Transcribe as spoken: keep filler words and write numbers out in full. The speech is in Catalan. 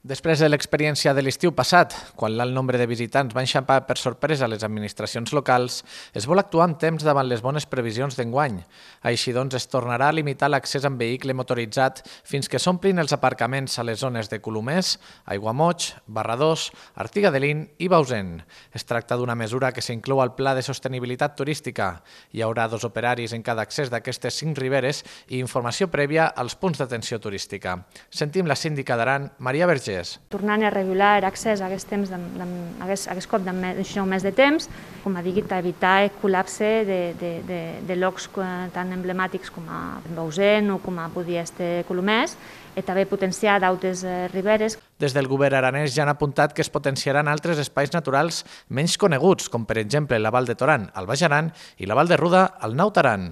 Després de l'experiència de l'estiu passat, quan l'alt nombre de visitants va enxampar per sorpresa les administracions locals, es vol actuar amb temps davant les bones previsions d'enguany. Així doncs, es tornarà a limitar l'accés amb vehicle motoritzat fins que s'omplin els aparcaments a les zones de Colomers, Aiguamoig, Barradós, Artiga de Lin i Bausen. Es tracta d'una mesura que s'inclou al Pla de Sostenibilitat Turística. Hi haurà dos operaris en cada accés d'aquestes cinc riberes i informació prèvia als punts d'atenció turística. Sentim la síndica d'Aran, Maria Vergés. Tornant a regular l'accés a aquest temps, a aquest cop d'això més de temps, com a dit, evitar el col·lapse de, de, de, de llocs tan emblemàtics com a Bausen o com a podia ser Colomers, i també potenciar d'altres riberes. Des del govern aranès ja han apuntat que es potenciaran altres espais naturals menys coneguts, com per exemple la Val de Toran, al Baix Aran, i la Val de Ruda, al Naut Aran.